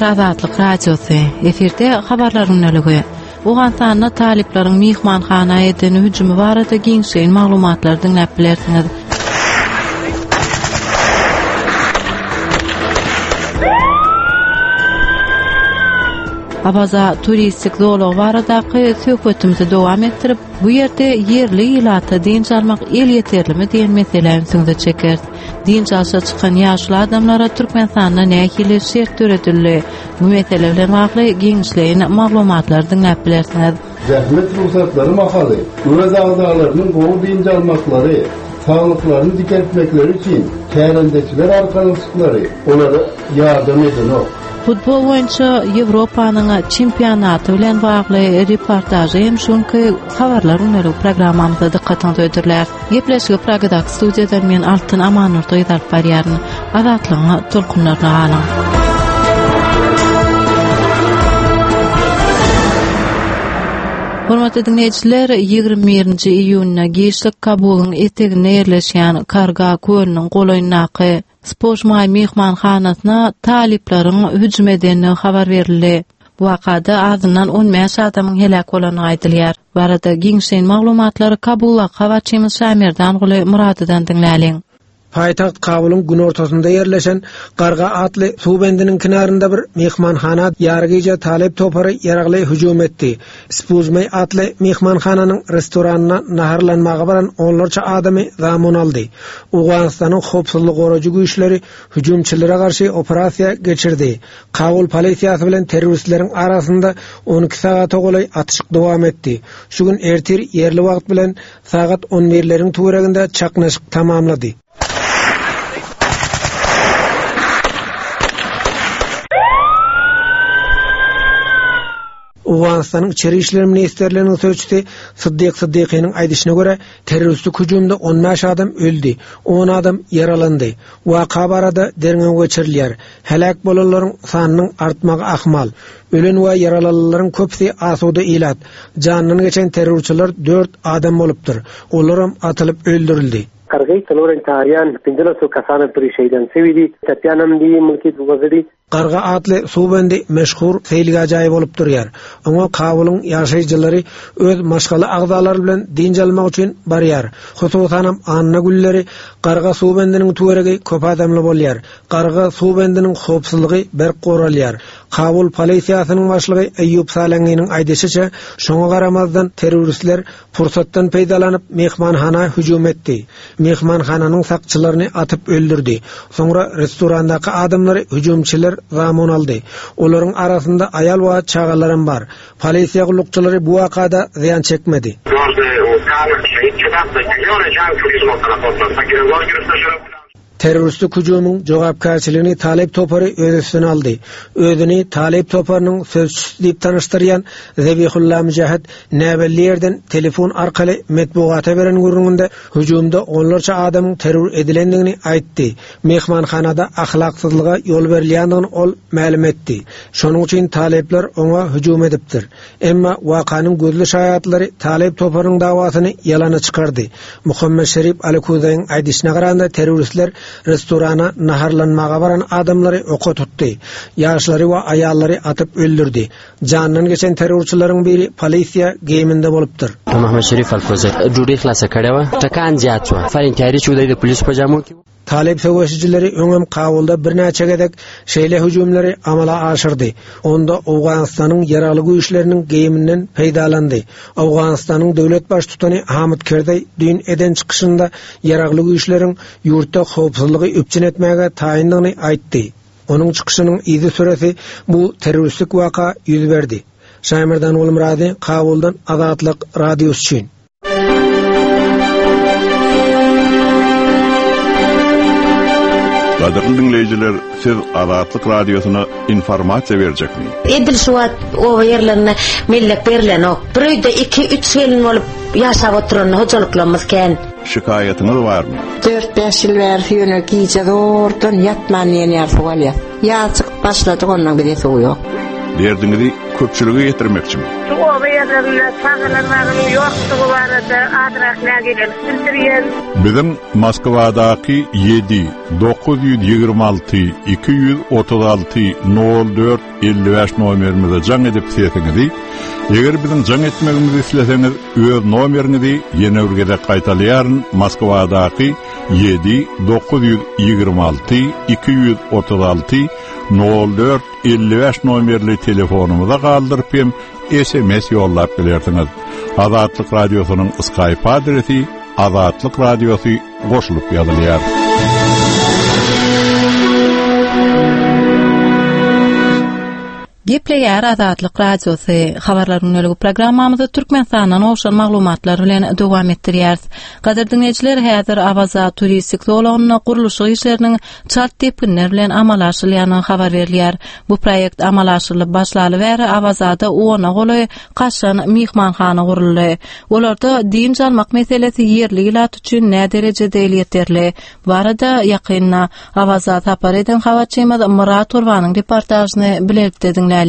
Diňleýär Azatlyk Radiosy. Efirde habarlar gündeligi. Owganystanda talyplaryň myhmanhana eden hüjümi barada giňişleýin maglumatlary diňläp bilersiňiz. Awaza turistik zolagy baradaky söhbetimizi dowam etdirip, bu ýerde ýerli ilata dynç almak elýeterlimi diýen meselä ünsüňizi çekeris. Dynç alşa çykan ýaşuly adamlara Türkmenistanda nähili şert döredildi? Bu mesele bilen bagly giňişleýin maglumatlary diňläp bilersiňiz. Zähmet rugsatlary mahaly öz agzalarynyň gowy dynç almaklary, saglyklaryny dikeltmekleri üçin kärendeçiler arkalaşyklary olara ýardam edenok. Futbol boýunça Ýewropanyň çempionaty bilen bagly reportažy hem şu günki Habarlar gündelik programmamyzda dykgatyňyza hödürläris. Gepleşigi Pragadaky studiýadan men Altyn Amannurdy gyz alyp barýaryn. Azatlygyň tolkunlaryna galyň. Hormatly diňleýjiler, 21-nji iýunda giçlik Kabulyň eteginde ýerleşýän Karga kölüniň golaýyndaky Spožmaý myhmanhanasyna talyplaryň hüjüm edendigi habar berildi. Bu wakada azyndan 15 adamyň heläk bolandygy aýdylýar. Bu barada giňişleýin maglumatlary Kabuldaky habarçymyz Şamerdanguly Myradydan diňläliň. Paýtagt Kabulyň günortasynda ýerleşen Garga atly suw bendiniň kenarynda bir myhmanhana ýarygije talyp topary ýaragly hüjüm etdi. Spuzmeý atly myhmanhananyň restoranyna naharlanmaga baran onlarça adamy zamun aldy. Owganystanyň howpsuzlygy goraýjy güýçleri hüjümçilere garşy operasiýa geçirdi. Kabul polisiýasy bilen terroristleriň arasynda 12 sagata golaý atyşyk dowam etdi. Şu gün ertir ýerli wagt bilen sagat on birleriň töwereginde çaknyşyk tamamlady. Owganystanyň Içeri işler ministrliginiň sözçüsi Syddyk Syddykynyň aýdyşyna görä, terroristik hüjümde 15 adam öldi, on adam ýaralandy. Waka barada derňew geçirilýär. Heläk bolanlaryň sanynyň artmagy ahmal. Ölen we ýaralananlaryň köpüsi asuda ilat. Janyndan geçen terrorçylar dört adam bolupdyr. Olaram atylyp öldürildi. Kargay څلورم تاریان پنځلسو کسانو پرې شهیدان شوي دي، ټپیان هم دي، ملکي وګړي. Garga atly suw bendi meşhur seýilgäh jaýy bolup durýar. Oňa Kabulyň ýaşaýjylary öz maşgala agzalary bilen dynç almak üçin barýar. Hususanam anna günleri Garga suw bendiniň töweregi köp adamly bolýar. Garga suw bendiniň howpsuzlygy berk goralýar. Kabul polisiýasynyň başlygy Eýýup Salanginiň aýdyşyça, şoňa garamazdan terroristler Pursatdan peýdalanyp, myhmanhana hüjüm etdi. Myhmanhananyň sakçylaryny atyp öldürdi. Soňra restorandaky adamlary hüjümçiler zamun aldy. Olaryň arasynda aýal we çagalaram bar. Polisiýa gullukçylary bu wakada zyýan çekmedi. Terroristik hüjümiň jogapkärçiligini Talyp topary öz üstüne aldy. Özüni Talyp toparynyň sözçüsi diýip tanyşdyrýan Zebihulla Müjahid näbelli ýerden telefon arkaly metbugata beren gürrüňinde hüjümde onlarça adamyň terror edilendigini aýtdy. Myhmanhanada ahlaksyzlyga ýol berilýändigini ol mälim etdi. Şonuň üçin talyplar oňa hüjüm edipdir. Emma wakanyň gözli şaýatlary Talyp toparynyň dawasyny ýalana çykardy. Muhammet Şerip Alikuzaýyň aýdyşyna garanda terroristler restorana naharlanmaga baran adamlary oka tutdy. Ýaşlary we aýallary atyp öldürdi. Janyndan geçen terrorçylaryň biri polisiýa geýiminde bolupdyr. Muhammet Şerif Alkuzaý ډوډۍ خلاصه کړې وه ټکان زیات شو فارین تیاري چې دی د پولیسو په جامو کې Talyp söweşijileri öňem Kabulda birnäçe gezek şeýle hüjümleri amala aşyrdy. Onda Owganystanyň Ýaragly Güýçleriniň geýiminden peýdalandy. Owganystanyň döwlet baştutany Hamid Kerzaý düýn eden çykyşynda Ýaragly Güýçleriň ýurtda howpsuzlygy üpjün etmäge taýyndygyny aýtdy. Onuň çykyşynyň yzysüresi bu terroristik waka ýüz berdi. Şaýmerdan Gulmyrady, Kabuldan Azatlyk Radiosy üçin. Gadyrly diňleýjiler, siz Azatlyk Radiosyna informasiýa berjekmi? Edil şu wagt oba ýerlerinde mellek berlenok. Bir öýde iki, üç gelin bolup ýaşap oturan hojalyklarymyz kän. Şikaýatyňyz barmy? Dört-bäş ýyl bäri ýöne gije zordan ýatman diýen ýaly suw alýas. Ýaz çykyp başladyk ondan bize suw ýok. Derdiňizi. köpçülige ýetirmekçimi? Şu oba ýerlerinde çagalar bagynyň ýokdugy barada azrak nägilelik bildirýän. Biziň Moskwadaky ýedi, 926 236 04 55 nomerimize jaň edip sesiňizi, eger biziň jaň etmegimizi isleseňiz, öz nomeriňizi ýene bir gezek gaýtalaýaryn, Moskwadaky 7 926 236 04 55 nomerli telefonymyza galdyryp hem SMS ýollap bilersiňiz. Azatlyk Radiosynyň Skype adresi Azatlyk Radiosy goşulyp ýazylýar. Gepleýär Azatlyk Radiosy. Habarlar gündeligi programmamyzy Türkmenistandan gowşan maglumatlar bilen dowam etdirýäris. Gadyrly diňleýjiler, häzir Awaza turistik zolagynda gurluşyk işleriniň çalt depginler bilen amala aşyrylýandygy habar berilýär. Bu proýekt amala aşyrylyp başlaly bäri Awazada ona golaý kaşaň myhmanhana guruldy. Olarda dynç almak meselesi ýerli ilat üçin näderejede elýeterli? Bu barada ýakynda Awaza sapar eden habarçymyz Myrat Gurbanyň reportažyny bilelikde diňläliň.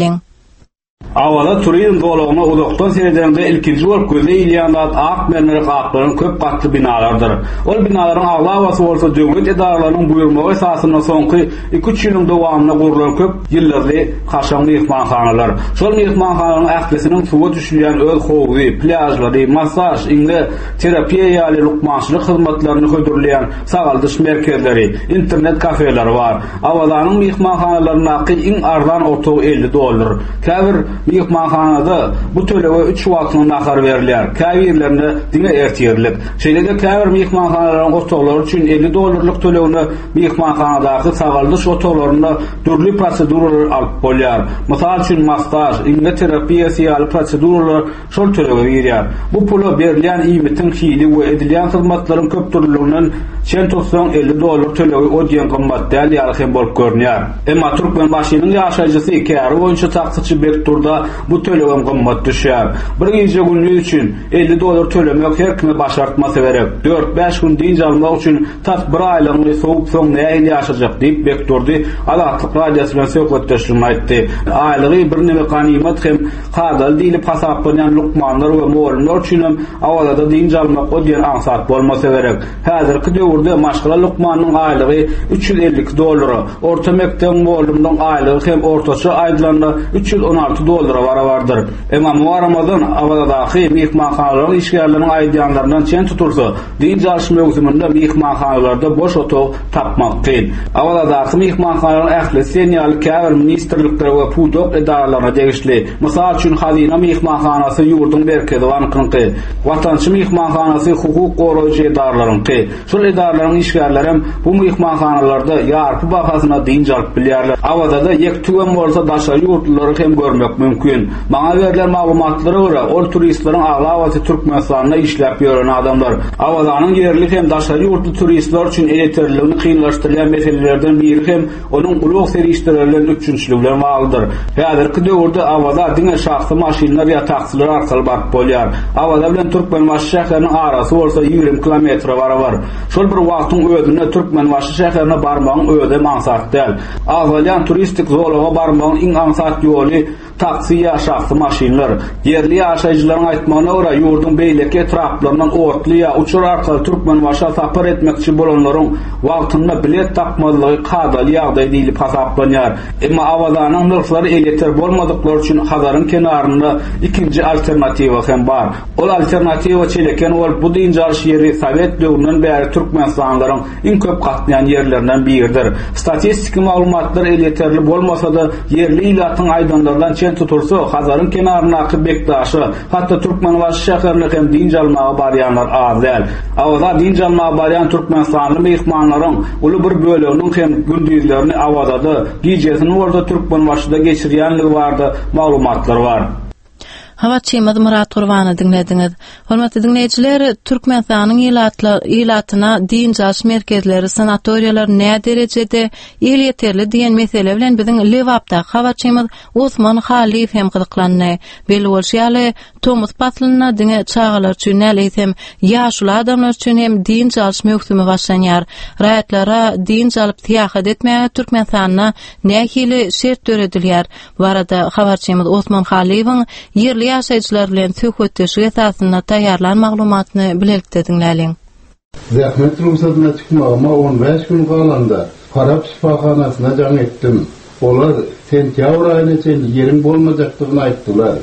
Awaza turizm zolagyna uzakdan seredeniňde ilkinji bolup göze ilýän zat ak mermere gaplanan köp gatly binalardyr. Ol binalaryň aglabasy bolsa döwlet edaralarynyň buýurmagy esasynda soňky iki-üç ýylyň dowamynda gurlan köp ýyldyzly kaşaň myhmanhanalar. Şol myhmanhanalaryň ählisiniň suwa düşülýän öz howzy, plýažlary, massaž, iňňe terapiýa ýaly lukmançylyk hyzmatlaryny hödürleýän sagaldyş merkezleri, internet kafeleri bar. Awazanyň myhmanhanalaryndaky iň arzan otag 50 dollar. Käbir myhmanhanada bu tölege üç wagtyňa nahar berilýär, käbirlerinde diňe ertirlik. Şeýle-de käbir myhmanhanalaryň otaglary üçin 50 dollarlyk tölegine myhmanhanadaky sagaldyş otaglarynda dürli proseduralary alyp bolýar. Mysal üçin, massaž, iňňe terapiýasy ýaly proseduralar şol tölege girýär. Bu pula berilýän iýmitiň hili we edilýän hyzmatlaryň köpdürlüliginden çen tutsaň, 50 dollar tölegi o diýen gymmat däl ýaly hem bolup görünýär. Emma Türkmenbaşynyň ýaşaýjysy, käri boýunça taksiçi Bekdurda bu tölegem gymmat düşýär. Bir gije-gündiz üçin 50 dollar tölemek her kime başartmasa gerek. Dört-bäş gün dynç almak üçin Tas bir aýlygyňy sowup soň nähili ýaşajak diýip Bekdurdy Azatlyk Radiosy bilen söhbetdeşliginde aýtdy. Aýlygy birneme ganymat hem kadaly diýlip hasaplanýan lukmanlar we mugallymlar üçinem Awazada dynç almak o diýen aňsat bolmasa gerek. Häzirki döwürde maşgala lukmanynyň aýlygy 352 dollara, orta mekdebiň mugallymynyň aýlygy hem ortaça aýdylanda 316 dollara barabardyr. Emma muňa garamazdan Awazadaky myhmanhanalaryň işgärleriniň aýdýanlaryndan çen tutulsa, Dynç alyş möwsüminde myhmanhanalarda boş otag tapmak kyn. Awazadaky myhmanhanalaryň ählisi diýen ýaly käbir ministrliklere we pudak edaralaryna degişli. Mysal üçin, Hazyna myhmanhanasy ýurduň Merkezi bankynyňky, Watançy myhmanhanasy hukuk goraýjy edaralaryňky. Şol edaralaryň işgärlerem bu myhmanhanalarda ýarpy bahasyna dynç alyp bilýärler. Awazada ýek-tügem bolsa daşary ýurtlulary hem görmek mümkin. Maňa berlen maglumatlara görä, ol turistleriň aglabasy Türkmenistanda işläp ýören adamlar. Awazanyň ýerli hem daşary ýurtly turistler üçin elýeterliligini kynlaşdyrýan meselelerden biri hem onuň ulag serişdeleri bilen üpjünçiligi bilen baglydyr. Häzirki döwürde Awaza diňe şahsy maşynlar ýa taksiler arkaly baryp bolýar. Awaza bilen Türkmenbaşy şäheriniň arasy bolsa 20 kilometre barabar. Şol bir wagtyň özünde Türkmenbaşy şäherine barmagyň özem aňsat däl. Agzalýan turistik zolaga barmagyň iň aňsat ýoly Taksi ýa şahsy maşynlar. Ýerli ýaşaýjylaryň aýtmagyna görä, ýurduň beýleki etraplaryndan otly ýa uçar arkaly Türkmenbaşa sapar etmekçi bolanlaryň wagtynda bilet tapmazlygy kadaly ýagdaý diýlip hasaplanýar. Emma Awazanyň nyrhlary elýeter bolmadyklar üçin Hazaryň kenarynda ikinji alternatiwa hem bar. Ol alternatiwa Çeleken bolup, bu dynç alyş ýeri sowet döwründen bäri türkmenistanlylaryň iň köp gatnaýan ýerlerinden biridir. Statistiki maglumatlar elýeterli bolmasa-da, ýerli ilatyň aýdanlaryndan çen tutulsa, Hazaryň kenaryndaky Bekdaşa, hatda Türkmenbaşy şäherine hem dynç almaga barýanlar az däl. Awaza dynç almaga barýan türkmenistanly myhmanlaryň uly bir böleginiň hem gündizlerini Awazada, gijesini bolsa Türkmenbaşyda geçirýänligi barada maglumatlar bar. Habarçymyz Myrat Gurbany diňlediňiz. Hormatly diňleýjiler, Türkmenistanyň ilatyna dynç alyş merkezleri, sanatoriýalar näderejede elýeterli diýen mesele bilen biziň Lebapdaky habarçymyz Osman Hallyýew hem gyzyklandy. Belli bolşy ýaly, tomus paslynda diňe çagalar üçin däl, eýsem, ýaşuly adamlar üçin hem dynç alyş möwsümi başlanýar. Raýatlara dynç alyp syýahat etmäge Türkmenistanda nähili şert döredilýär? Bu barada habarçymyz Osman Hallyýewiň ýerli ýaşaýjylar bilen söhbetdeşlik esasynda taýýarlan maglumatyny bilelikde diňläliň. Zähmet rugsadyna çykmagyma on bäş gün galanda Farap şypahanasyna jaň etdim. Olar sentýabr aýyna çenli ýeriň bolmajakdygyny aýtdylar.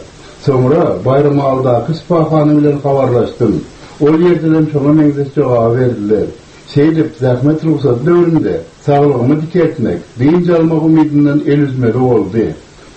Soňra Baýramalydaky şypahana bilen habarlaşdym. Ol ýerdenem şoňa meňzeş jogaby berdiler. Şeýdip, zähmet rugsady döwründe saglygymy dikeltmek, dynç almak umydyndan el üzmeli boldy.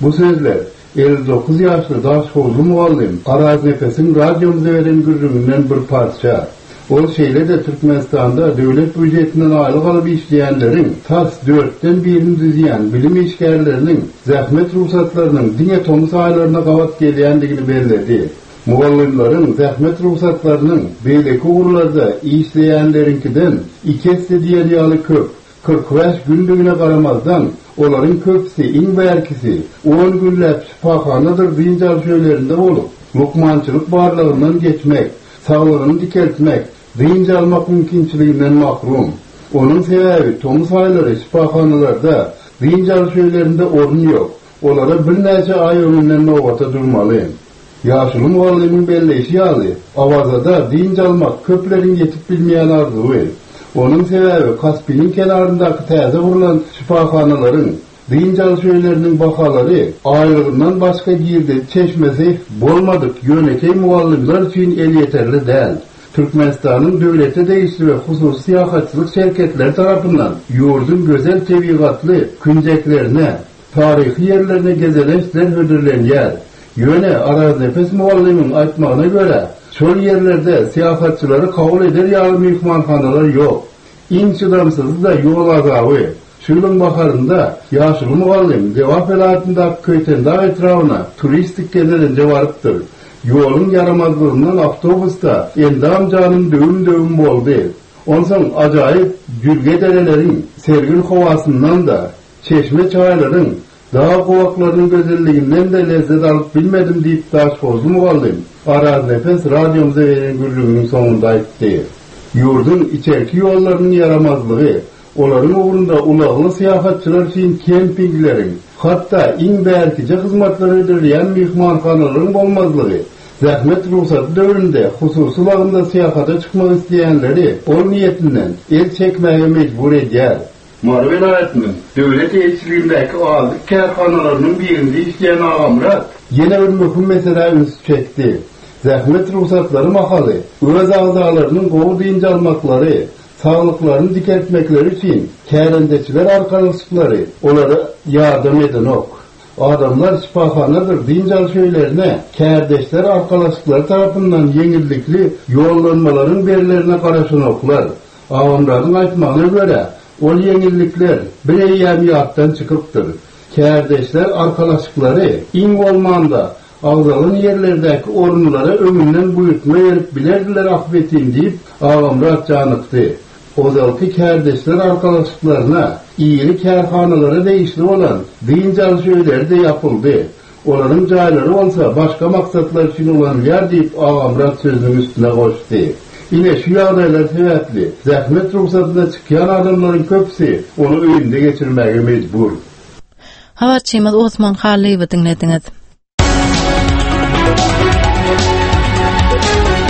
Bu sözler 59 ýaşly daşhowuzly mugallym Araznepesiň radiomyza beren gürrüňinden bir parça. Ol şeýle-de Türkmenistanda döwlet býujetinden aýlyk alyp işleýänleriň tas dörtden birini düzýän bilim işgärleriniň zähmet rugsatlarynyň diňe tomus aýlaryna gabat gelýändigini belledi. Mugallymlaryň zähmet rugsatlarynyň beýleki ugurlarda işleýänleriňkiden iki esse diýen ýaly köp, 45 gündigine garamazdan, olaryň köpüsi, iň bärkisi, on günläp şypahanadyr dynç alyş öýlerinde bolup, lukmançylyk barlagyndan geçmek, saglygyny dikeltmek, dynç almak mümkinçiliginden mahrum. Onuň sebäbi tomus aýlary şypahanalarda, dynç alyş öýlerinde orun ýok. Olara birnäçe aý öňünden nobata durmaly. Ýaşuly mugallymyň belleýşi ýaly, Awazada dynç almak köpleriň ýetip bilmeýän arzuwy. Onuň sebäbi Kaspiniň kenaryndaky täze gurlan şypahanalaryň, dynç alyş öýleriniň bahalary aýlygyndan başga girdeji çeşmesi bolmadyk ýönekeý mugallymlar üçin elýeterli däl. Türkmenistanyň döwlete degişli we hususy syýahatçylyk şerketleri tarapyndan ýurduň gözel tebigatly künjeklerine, taryhy ýerlerine gezelençler hödürlenýär. Ýöne Araznepes mugallymyň aýtmagyna görä, şol ýerlerde syýahatçylary kabul eder ýaly myhmanhanalar ýok. Iň çydamsyzy-da ýol azaby. Şu ýylyň baharynda ýaşuly mugallym Lebap welaýatyndaky Köýtendag etrabyna turistik gezelenje barypdyr. Ýoluň ýaramazlygyndan awtobusda endam-janym döwüm-döwüm boldy. Onsoň ajaýyp jülge-dereleriň sergin howasyndan-da, çeşme-çaýlaryň, dag gowaklarynyň gözelliginden-de lezzet alyp bilmedim diýip daşhowuzly mugallym Araznepes radiomyza beren gürrüňiniň soňunda aýtdy. Ýurduň içerki ýollarynyň ýaramazlygy, Olaryň ugrunda ulagly syýahatçylar üçin kempingleriň, hatda iň bärkije hyzmatlar hödürleýän myhmanhanalaryň bolmazlygy, zähmet rugsady döwründe hususy ulagynda syýahata çykmak isleýänleri ol niýetinden el çekmäge mejbur edýär. Mary welaýatynyň döwlet eýeçiligindäki azyk kärhanalarynyň birinde işleýän Agamyrat ýene bir möhüm meselä ünsi çekdi. Zähmet rugsatlary mahaly öz agzalarynyň gowy dynç almaklary, Saglyklaryny dikeltmekleri üçin kärendeçiler arkalaşyklary olara ýardam edenok. Adamlar şypahanadyr dynç alyş öýlerine kärdeşler arkalaşyklary tarapyndan ýeňillikli ýollanmalaryň berlerine garaşanoklar. Agamyradyň aýtmagyna görä, ol ýeňillikler bir eýýäm ýatdan çykypdyr. Kärdeşler arkalaşyklary iň bolmanda Agzalan ýerlerdäki orunlara öňünden buýurtma berip bilerdiler ahbetin diýip, Agamyrat janykdy. Ozalky kärdeşler arkalaşyklaryna, iri kärhanalara degişli bolan dynç alyş öýleri-de ýapyldy. Olaryň jaýlary bolsa başga maksatlar üçin ulanylýar diýip, Agamyrat sözüniň üstüne goşdy. Ine, şu ýagdaýlar sebäpli, zähmet rugsadyna çykýan adamlaryň köpüsi ony öýünde geçirmäge mejbur. Habarçymyz Osman Hallyýewi diňlediňiz.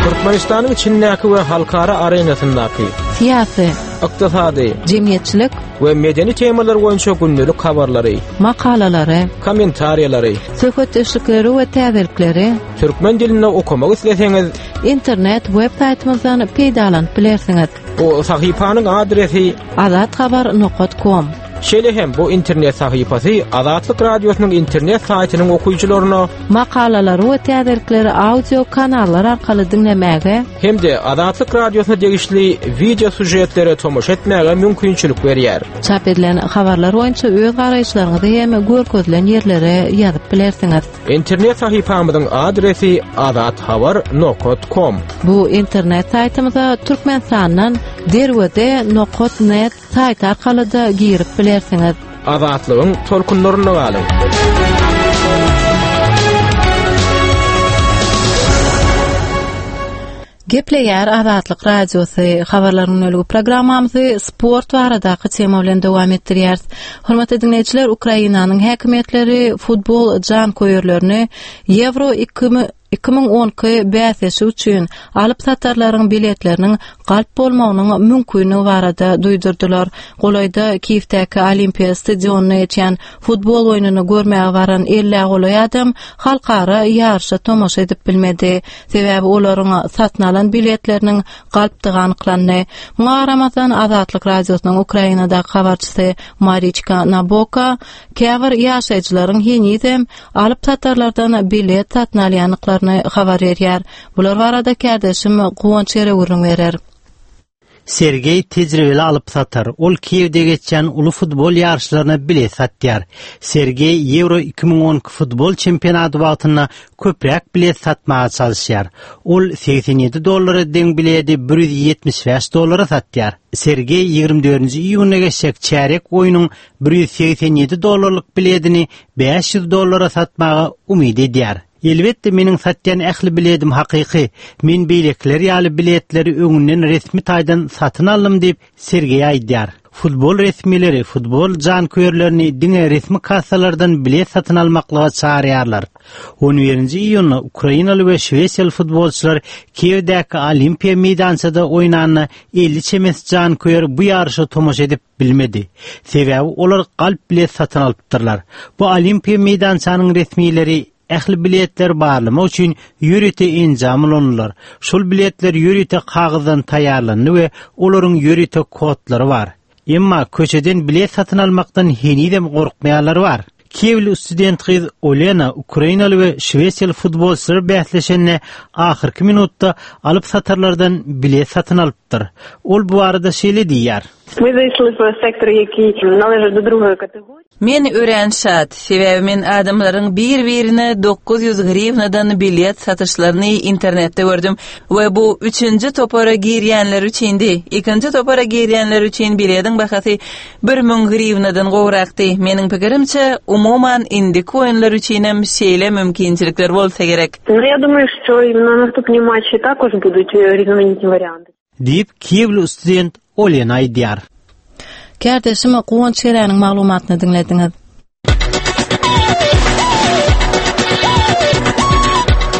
Türkmenistanyň içindäki we halkara arenasyndaky syýasy, ykdysady, jemgyýetçilik we medeni temalar boýunça gündelik habarlary, makalalary, kommentariýalary, söhbetdeşlikleri we täzelikleri türkmen dilinde okamak isleseňiz, internet web saýtymyzdan peýdalanyp bilersiňiz. Bu sahypanyň adresi azathabar.com. Şeýle hem bu internet sahypasy Azatlyk Radiosynyň internet saýtynyň okyjylaryna Makalalary we täzelikleri audio kanallar arkaly diňlemäge hem-de Azatlyk Radiosyna degişli wideo sýužetlere tomaşa etmäge mümkinçilik berýär. Çap edilen habarlar boýunça öz garaýyşlaryňyzy hem görkezilen ýerlere ýazyp bilersiňiz. Internet sahypamyzyň adresi azathabar nokat kom. Bu internet saýtymyza Türkmenistandan derweze nokat net saýty arkaly-da girip bilersiňiz. Azatlygyň tolkunlarynda galyň! Gepleýär Azatlyk Radiosy, Habarlar gündeligi programmamyzy sport baradaky tema bilen dowam etdirýäris. Hormatly diňleýjiler, Ukrainanyň häkimiýetleri futbol janköýerlerini Ýewro 2012 bäsleşigi üçin alyp-satarlaryň biletleriniň galp bolmagynyň mümkinligi barada duýdurdylar. Golaýda Kiýewdäki Olimpiýa stadionynda geçýän Futbol oýnuny görmäge baran ellä golaý adam halkara ýaryşa tomaşa edip bilmedi. Sebäbi olaryň satyn alan biletleriniň galpdygy anyklandy. Muňa garamazdan, Azatlyk Radiosynyň Ukrainadaky habarçysy Mariçka Naboka käbir ýaşaýjylaryň henizem alyp-satarlardan bilet satyn alýandyklaryny habar berýär. Bular barada kärdeşim Guwanç Ere gürrüň berer. Sergeý tejribeli alyp-satar. Ol Kiýewde geçýän uly futbol ýaryşlaryna bilet satýar. Sergeý Ýewro 2012 futbol çempionaty wagtynda köpräk bilet satmaga çalyşýar. Ol 87 dollara deň biledi 175 dollara satýar. Sergeý 24-nji iýunda geçjek çärýek oýnuň 187 dollarlyk biledini 500 dollara satmaga umyt edýär. Elbetde meniň satýan ähli biledim hakyky. Men beýlekiler ýaly biletleri öňünden resmi taýdan satyn aldym diýip, Sergeý aýdýar. Futbol resmileri futbol janköýerlerini diňe resmi kassalardan bilet satyn almaklyga çagyrýarlar. On birinji iýunda ukrainaly we şwesiýaly futbolçylar Kiýewdäki Olimpiýa meýdançada oýnanda 50 çemesi janköýer bu ýaryşa tomaşa edip bilmedi. Sebäbi olar galp bilet satyn alypdyrlar. Bu Olimpiýa meýdançanyň resmileri ähli biletleri barlamak üçin ýörite enjam ulandylar. Şol biletler ýörite kagyzdan taýýarlandy we olaryň ýörite kodlary bar. Emma köçeden bilet satyn almakdan henizem gorkmaýanlar bar. Kiýewli student gyz Olena ukrainaly we şwesiýaly futbolçylar bäsleşende ahyrky minutda alyp-satarlardan bilet satyn alypdyr. Ol bu barada şeýle diýýär. Men örän şat, sebäbi men adamlaryň bir-birine 900 hriwnadan bilet satyşlaryny internetde gördüm we bu üçünji topara girýänler üçindi. Ikinji topara girýänler üçin bilediň bahasy 1000 hriwnadan gowrakdy. Meniň pikirimçe, umuman, indiki oýunlar üçinem şeýle mümkinçilikler bolsa gerek. Diýip, kiýewli student Olena aýdýar. Kärdeşim Guwanç Geräniň maglumatyny diňlediňiz.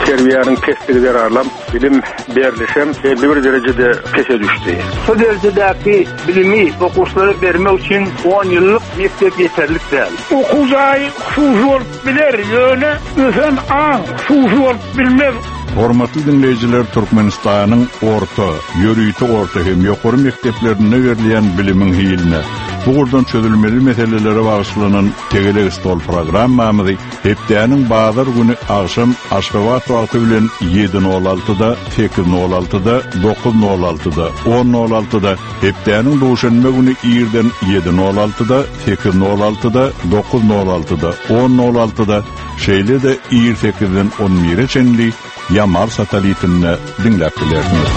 Terbiýäniň pesligi zerarlam bilim berlişem belli bir derejede pese düşdi. Şu derejedäki bilimi okuwçylara bermek üçin on ýyllyk mekdep ýeterlik däl. Okuw jaýy hususy bolup biler, ýöne ösen aň hususy bolup bilmez. Hormatly diňleýjiler Türkmenistanyň orta, ýörite orta hem ýokary mekdeplerinde berilýän bilimiň hiline, bu ugurdan çözülmeli meselelere bagyşlanan Tegelek stol programmamyzy hepdäniň bazar güni agşam Aşgabat wagty bilen ýedi nol altyda, sekiz nol altyda, dokuz nol altyda, on nol altyda, hepdäniň duşenbe güni irden ýedi nol altyda, sekiz nol altyda, dokuz nol altyda, on nol altyda, şeýle-de ir sekizden on bire çenli Ýamal satelitinde diňläp bilersiňiz.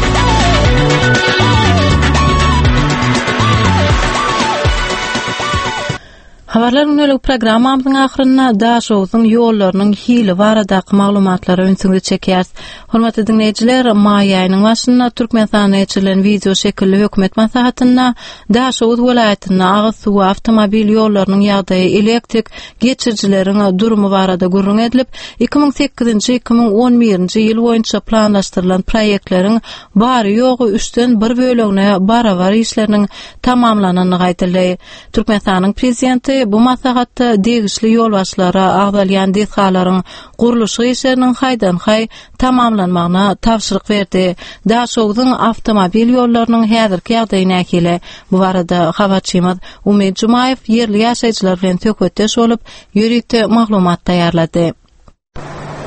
Habarlar gündelik programmamyzyň ahyrynda Daşogzuň ýollarynyň hili baradaky maglumatlara ünsüňizi çekýäris. Hormatly diňleýjiler, maý aýynyň başynda Türkmenistanda geçirilen wideo şekilli hökümet maslahatynda Daşoguz welaýatynda agyz suwy, awtomobil ýollarynyň ýagdaýy, elektrik geçirijileriň durumy barada gürrüň edilip, 2008-nji, 2011-nji ýyl boýunça planlaşdyrylan proýektleriň bary-ýogy üçden bir bölegine barabar işleriniň tamamlanandygy aýdyldy. Türkmenistanyň Prezidenti. Prezidenti bu maslahatda degişli ýolbaşçylara agzalýan desgalaryň gurluşyk işleriniň haýdan-haý tamamlanmagyna tabşyryk berdi. Daşogzuň awtomobil ýollarynyň häzirki ýagdaýy nähili? Bu barada habarçymyz Umyt Jumaýew ýerli ýaşaýjylar bilen söhbetdeş bolup, ýörite maglumat taýýarlady.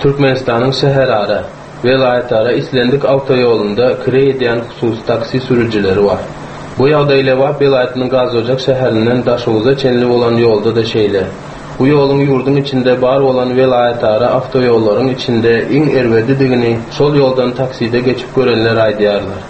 Türkmenistanyň şäherara, welaýatara islendik awtoýolunda kireý edýän hususy taksi sürüjileri bar. Bu ýagdaý Lebap welaýatynyň Gazojak şäherinden Daşoguza çenli bolan ýolda-da şeýle. Bu ýoluň ýurduň içinde bar bolan welaýatara awtoýollaryň içinde iň erbedidigini şol ýoldan takside geçip görenler aýdýarlar.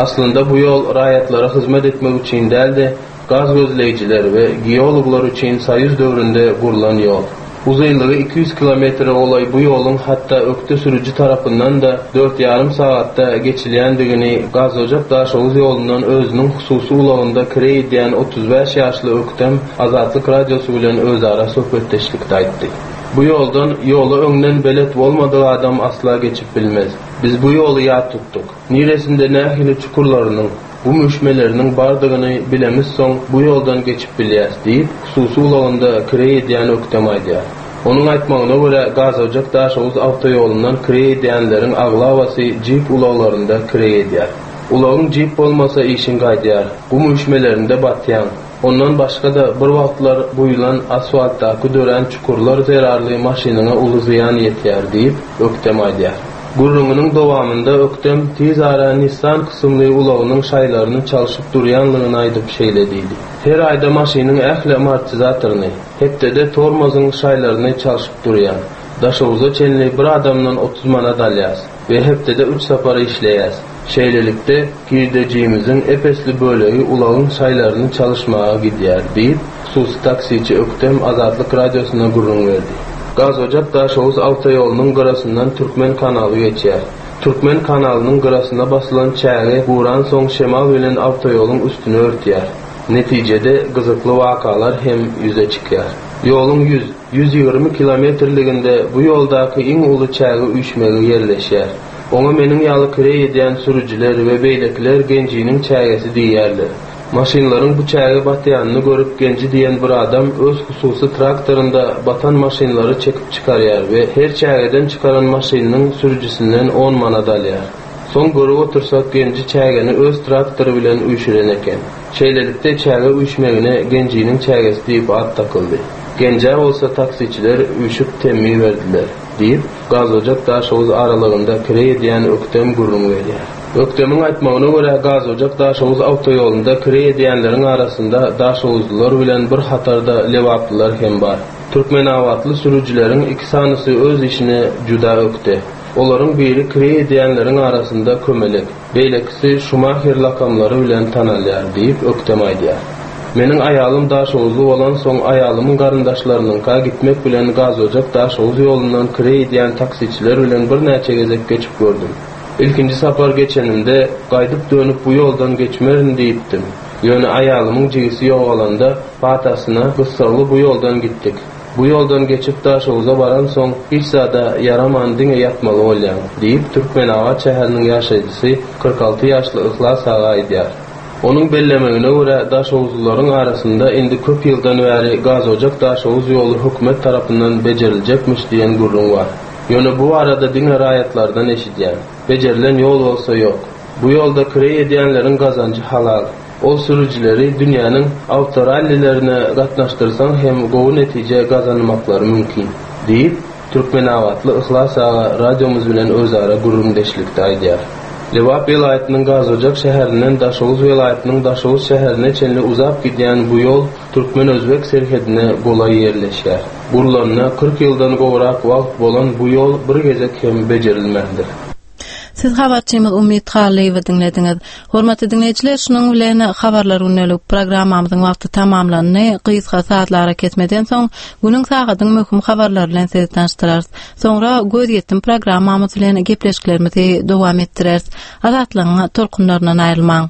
Aslynda bu ýol raýatlara hyzmat etmek üçin däl-de, Gaz gözleýjiler we geologlar üçin soýuz döwründe gurlan ýol. Uzynlygy 200 kilometre golaý bu ýoluň hatda ökde sürüji tarapyndan-da dört ýarym sagatda geçilýändigini Gazojak-Daşoguz ýolundan özüniň hususy ulagynda kireý edýän 35 ýaşly Ökdem Azatlyk Radiosy bilen özara söhbetdeşlikde aýtdy. Bu ýoldan ýola öňden belet bolmadyk adam asla geçip bilmez. Biz bu ýoly ýat tutduk. Niresinde nähili çukurlarynyň, Gum üýşmeleriniň bardygyny bilemizsoň, bu ýoldan geçip bilýäs, diýip, hususy ulagynda kireý edýän Ökdem aýdýar. Onuň aýtmagyna görä, Gazojak-Daşoguz awtoýolundan kireý edýänleriň aglabasy jip ulaglarynda kireý edýär. Ulagyň jip bolmasa işiň gaýdýar. Gum üýşmelerinde batýaň. Ondan başga-da, bir wagtlar guýlan asfaltdaky dörän çukurlar zerarly maşynyňa uly zyýan ýetýär, diýip, Ökdem aýdýar. Gürrüňiniň dowamynda Ökdem tiz ara Nissan kysymly ulagynyň şaýlaryny çalşyp durýanlygyny aýdyp şeýle diýdi, Her aýda maşynyň ähli amortizatoryny, hepdede tormozyň şaýlaryny çalşyp durýan. Daşoguza çenli bir adamdan 30 manat alýas we hepdede üç sapar işleýäs. Şeýlelikde, girdejimiziň ep-esli bölegi ulagyň şaýlaryny çalyşmaga gidýär, diýip, hususy taksiçi Ökdem Azatlyk Radiosyna gürrüň berdi. Gazojak-Daşoguz awtoýolunyň gyrasyndan Türkmen kanaly geçýär. Türkmen kanalynyň gyrasyna basylan çäge guransoň şemal bilen awtoýoluň üstüni örtýär. Netijede, gyzykly wakalar hem ýüze çykýar. Ýoluň ýüz, 120 kilometrliginde bu ýoldaky iň uly çäge üýşmegi ýerleşýär. Oňa meniň ýaly kireý edýän sürüjiler we beýlekiler Genjiniň çägesi diýýärler. Maşynlaryň bu çäge batýanyny görüp Genji diýen bir adam öz hususy traktorynda batan maşynlary çekip çykarýar we her çägeden çykaran maşynynyň sürüjisinden on manat alýar. Soň görüp otursak Genji çägeni öz traktory bilen üýşüren eken. Şeýlelikde çäge üýşmegine Genjiniň çägesi diýip at dakyldy. Genjä bolsa taksiçiler üýşüp temmi berdiler. Diýip, Gazojak-Daşoguz aralygynda kireý edýän Ökdem gürrüň berýär. Ökdemiň aýtmagyna görä, Gazojak-Daşoguz awtoýolunda kireý edýänleriň arasynda daşoguzlylar bilen bir hatarda lebaplylar hem bar. Türkmenabatly sürüjileriň iki sanysy öz işine juda ökde. Olaryň biri kireý edýänleriň arasynda Kömelek. Beýlekisi Şumaher lakamlary bilen tanalýar, diýip, Ökdem aýdýar. Meniň aýalym daşoguzly bolansoň, aýalymyň garyndaşlarynyňka gitmek bilen Gazojak-Daşoguz ýolundan kireý edýän taksiçiler bilen birnäçe gezek geçip gördüm. Ilkinji sapar geçenimde, gaýdyp-dönüp bu ýoldan geçmerin diýipdim. Ýöne aýalymyň jigisi ýogalanda, patasyna gyssagly bu ýoldan gitdik. Bu ýoldan geçip Daşoguza baransoň, hiç zada ýaraman diňe ýatmaly bolýaň, diýip, Türkmenabat şäheriniň ýaşaýjysy, 46 ýaşly Yhlas aga aýdýar. Onuň bellemegine görä, daşoguzlylaryň arasynda indi köp ýyldan bäri Gazojak-Daşoguz ýoly hökümet tarapyndan bejeriljekmiş diýen gürrüň bar. Ýöne bu barada diňe raýatlardan eşidýän. Bejerilen ýol bolsa ýok. Bu ýolda kireý edýänleriň gazanjy halal. Ol sürüjileri dünýäniň awtorallilerine gatnaşdyrsaň hem gowy netije gazanmaklary mümkin, diýip, türkmenabatly Yhlas aga radiomyz bilen özara gürrüňdeşlikde aýdýar. Lebap welaýatynyň Gazojak şäherinden Daşoguz welaýatynyň Daşoguz şäherine çenli uzap gidýän bu ýol türkmen-özbek serhedine golaý ýerleşýär. Gurlanyna 40 ýyldan gowrak wagt bolan bu ýol bir gezek hem bejerilmändir. Siz habarçymyz Umyt Hallyýewi diňlediňiz. Hormatly diňleýjiler, şunuň bilen Habarlar gündelik programmamyzyň wagty tamamlandy. Gysga sazly arakesmeden soň, günüň sagadyň möhüm habarlary bilen sizi tanyşdyrarys. Soňra Gözýetim programmamyz bilen gepleşiklerimizi dowam etdireris. Azatlygyň tolkunlaryndan aýrylmaň.